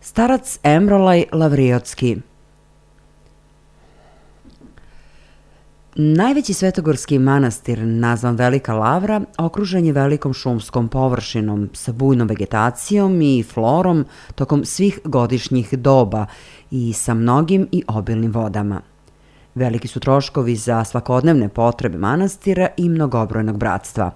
Starac Emrolaj Lavriotski. Najveći svetogorski manastir, nazvan Velika Lavra, okružen je velikom šumskom površinom sa bujnom vegetacijom i florom tokom svih godišnjih doba i sa mnogim i obilnim vodama. Veliki su troškovi za svakodnevne potrebe manastira i mnogobrojnog bratstva.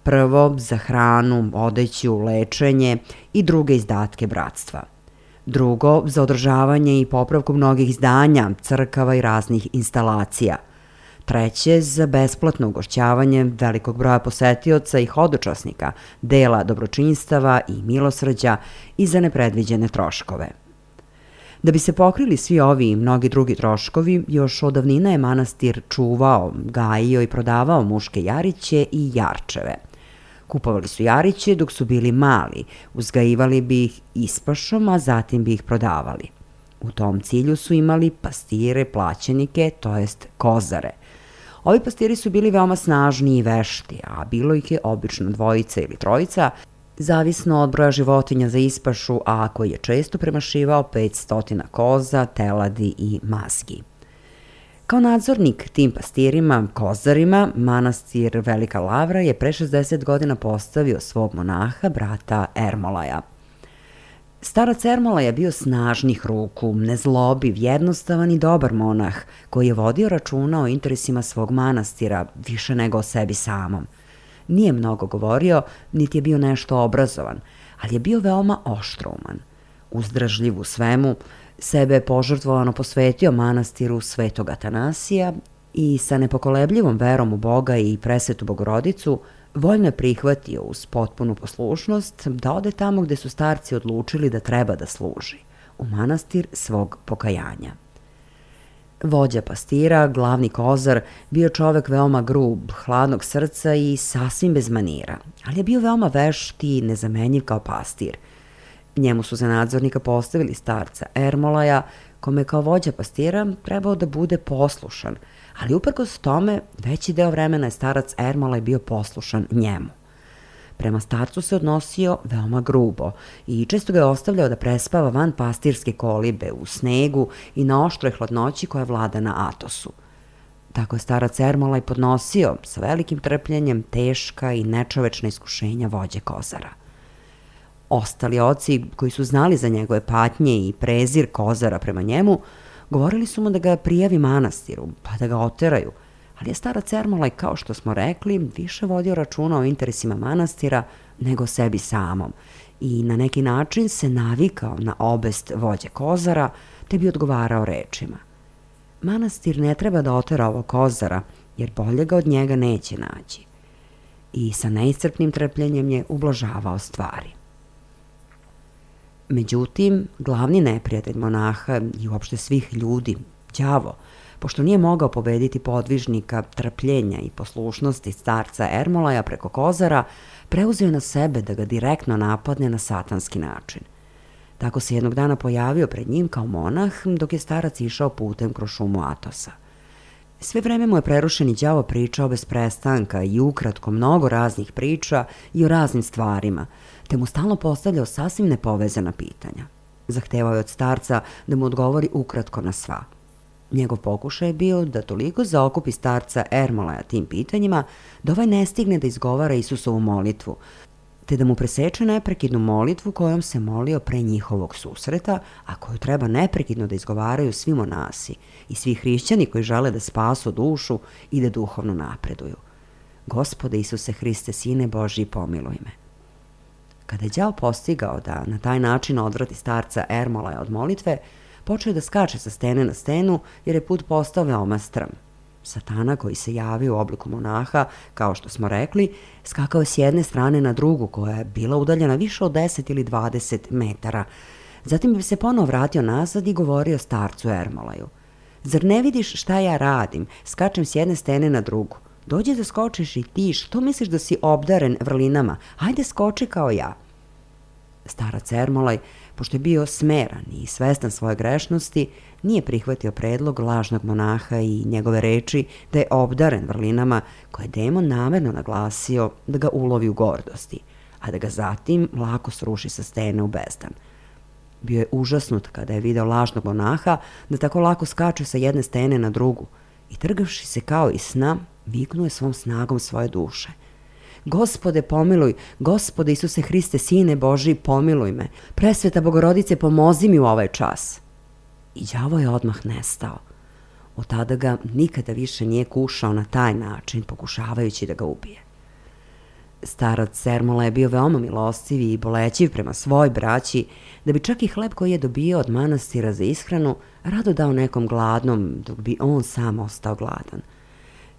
Prvo, za hranu, odeću, lečenje i druge izdatke bratstva. Drugo, za održavanje i popravku mnogih izdanja, crkava i raznih instalacija. Treće, za besplatno ugošćavanje velikog broja posetioca i hodočasnika, dela dobročinstava i milosrđa i za nepredviđene troškove. Da bi se pokrili svi ovi i mnogi drugi troškovi, još od davnina je manastir čuvao, gajio i prodavao muške jariće i jarčeve. Kupovali su jariće dok su bili mali, uzgajivali bi ih ispašom, a zatim bi ih prodavali. U tom cilju su imali pastire, plaćenike, to jest kozare. Ovi pastiri su bili veoma snažni i vešti, a bilo ih je obično dvojica ili trojica, zavisno od broja životinja za ispašu, a koji je često premašivao 500 koza, teladi i mazgi. Kao nadzornik tim pastirima, kozarima, manastir Velika Lavra je pre 60 godina postavio svog monaha, brata Ermolaja. Starac Ermolaj je bio snažnih ruku, nezlobiv, jednostavan i dobar monah, koji je vodio računa o interesima svog manastira više nego o sebi samom. Nije mnogo govorio, niti je bio nešto obrazovan, ali je bio veoma oštrouman. Uzdražljiv u svemu, sebe požrtvovano posvetio manastiru Svetog Atanasija i sa nepokolebljivom verom u Boga i presvetu Bogorodicu voljno je prihvatio uz potpunu poslušnost da ode tamo gde su starci odlučili da treba da služi, u manastir svog pokajanja. Vođa pastira, glavni kozar, bio čovek veoma grub, hladnog srca i sasvim bez manira, ali je bio veoma vešt i nezamenjiv kao pastir. Njemu su za nadzornika postavili starca Ermolaja, kome kao vođa pastira trebao da bude poslušan, ali uprkos tome veći deo vremena je starac Ermolaj bio poslušan njemu. Prema starcu se odnosio veoma grubo i često ga je ostavljao da prespava van pastirske kolibe, u snegu i na oštroj hladnoći koja vlada na Atosu. Tako je starac Ermolaj podnosio sa velikim trpljenjem teška i nečovečna iskušenja vođe kozara. Ostali oci, koji su znali za njegove patnje i prezir kozara prema njemu, govorili su mu da ga prijavi manastiru, pa da ga oteraju, ali je starac Ermolaj, kao što smo rekli, više vodio računa o interesima manastira nego sebi samom i na neki način se navikao na obest vođe kozara, te bi odgovarao rečima: manastir ne treba da otera ovog kozara, jer bolje ga od njega neće naći. I sa neiscrpnim trpljenjem je ublažavao stvari. Međutim, glavni neprijatelj monaha i uopšte svih ljudi, đavo, pošto nije mogao pobediti podvižnika trpljenja i poslušnosti starca Ermolaja preko kozara, preuzeo na sebe da ga direktno napadne na satanski način. Tako se jednog dana pojavio pred njim kao monah dok je starac išao putem kroz šumu Atosa. Sve vreme mu je prerušeni đavo pričao bez prestanka i ukratko mnogo raznih priča i o raznim stvarima, te mu stalno postavljao sasvim nepovezana pitanja. Zahtevao je od starca da mu odgovori ukratko na sva. Njegov pokušaj je bio da toliko zaokupi starca Ermolaja tim pitanjima da ovaj ne stigne da izgovara Isusovu molitvu, te da mu preseče neprekidnu molitvu kojom se molio pre njihovog susreta, a koju treba neprekidno da izgovaraju svi monasi i svi hrišćani koji žele da spasu dušu i da duhovno napreduju. Gospode Isuse Hriste, Sine Božji, pomiluj me. Kada je đavo postigao da na taj način odvrati starca Ermolaja od molitve, počeo je da skače sa stene na stenu jer je put postao veoma strm. Satana, koji se javio u obliku monaha, kao što smo rekli, skakao je s jedne strane na drugu koja je bila udaljena više od 10 ili 20 metara. Zatim bi se ponovo vratio nazad i govorio starcu Ermolaju: zar ne vidiš šta ja radim? Skačem s jedne stene na drugu. Dođi da skočiš i ti, što misliš da si obdaren vrlinama? Hajde skoči kao ja. Starac Ermolaj, pošto je bio smeran i svestan svoje grešnosti, nije prihvatio predlog lažnog monaha i njegove reči da je obdaren vrlinama koje je demon namerno naglasio da ga ulovi u gordosti, a da ga zatim lako sruši sa stene u bezdan. Bio je užasnut kada je video lažnog monaha da tako lako skače sa jedne stene na drugu i trgavši se kao iz sna, viknuo je svom snagom svoje duše. Gospode, pomiluj, Gospode Isuse Hriste, Sine Božiji, pomiluj me. Presveta Bogorodice, pomozi mi u ovaj čas. I đavo je odmah nestao. Od tada ga nikada više nije kušao na taj način, pokušavajući da ga ubije. Starac Sermola je bio veoma milostiv i bolećiv prema svoj braći, da bi čak i hleb koji je dobio od manastira za ishranu rado dao nekom gladnom, dok bi on sam ostao gladan.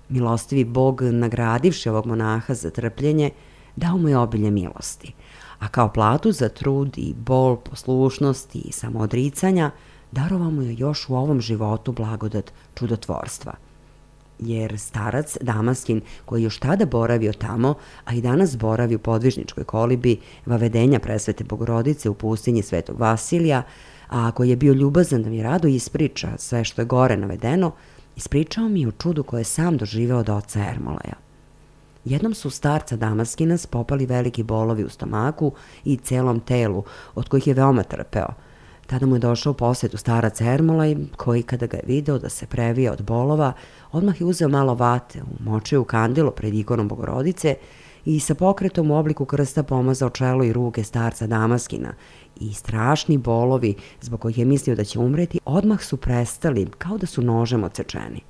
Milostivi Bog, nagradivši ovog monaha za trpljenje, dao mu je obilje milosti, a kao platu za trud i bol, poslušnosti i samoodricanja, darovao mu je još u ovom životu blagodat čudotvorstva. Jer starac Damaskin, koji još tada boravio tamo, a i danas boravi u podvižničkoj kolibi Vavedenja Presvete Bogorodice u pustinji Svetog Vasilija, a koji je bio ljubazan da mi rado ispriča sve što je gore navedeno, ispričao mi o čudu koje je sam doživeo od oca Ermolaja. Jednom su starca Damaskina spopali veliki bolovi u stomaku i celom telu, od kojih je veoma trpeo. Tada mu je došao u posetu starac Ermolaj, koji kada ga je video da se previja od bolova, odmah je uzeo malo vate, umočio u kandilo pred ikonom Bogorodice i sa pokretom u obliku krsta pomazao čelo i ruke starca Damaskina i strašni bolovi, zbog kojih je mislio da će umreti, odmah su prestali kao da su nožem odsečeni.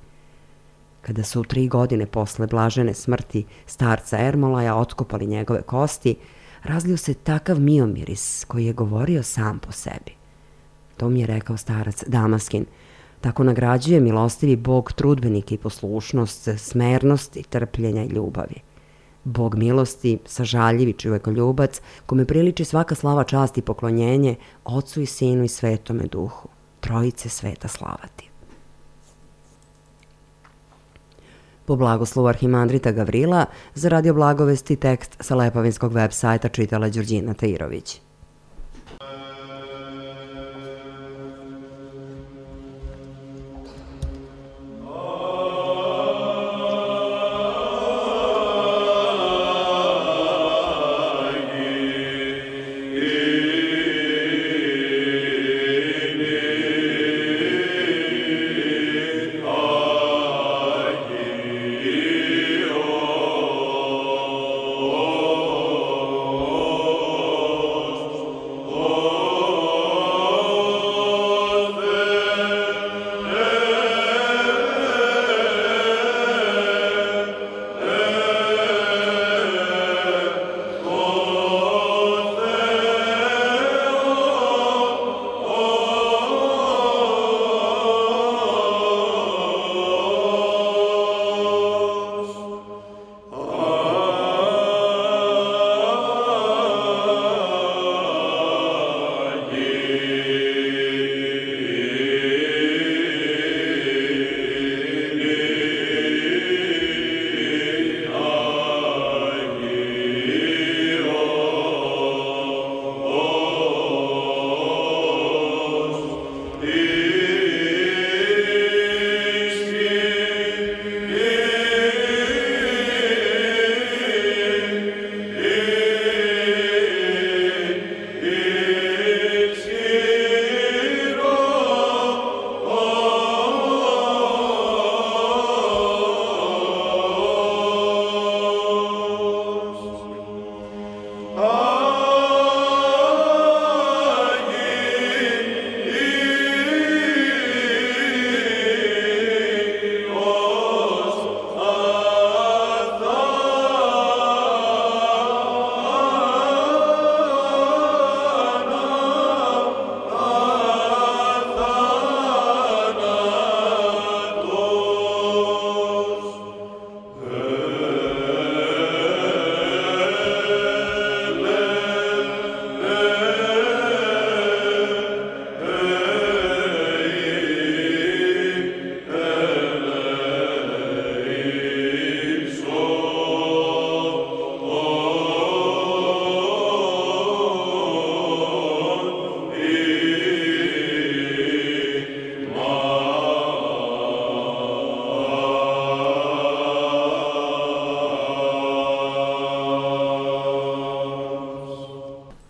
Kada su 3 godine posle blažene smrti starca Ermolaja otkopali njegove kosti, razlio se takav miomiris koji je govorio sam po sebi. To mi je rekao starac Damaskin. Tako nagrađuje milostivi Bog trudbenike i poslušnost, smernosti, trpljenja i ljubavi. Bog milosti, sažaljivi čovekoljubac, kome priliči svaka slava, čast i poklonjenje, Otcu i Sinu i Svetome Duhu. Trojice sveta slavati. Po blagoslovu arhimandrita Gavrila, za Radio Blagovesti tekst sa Lepovinskog web sajta čitala Đurđina Tajirović.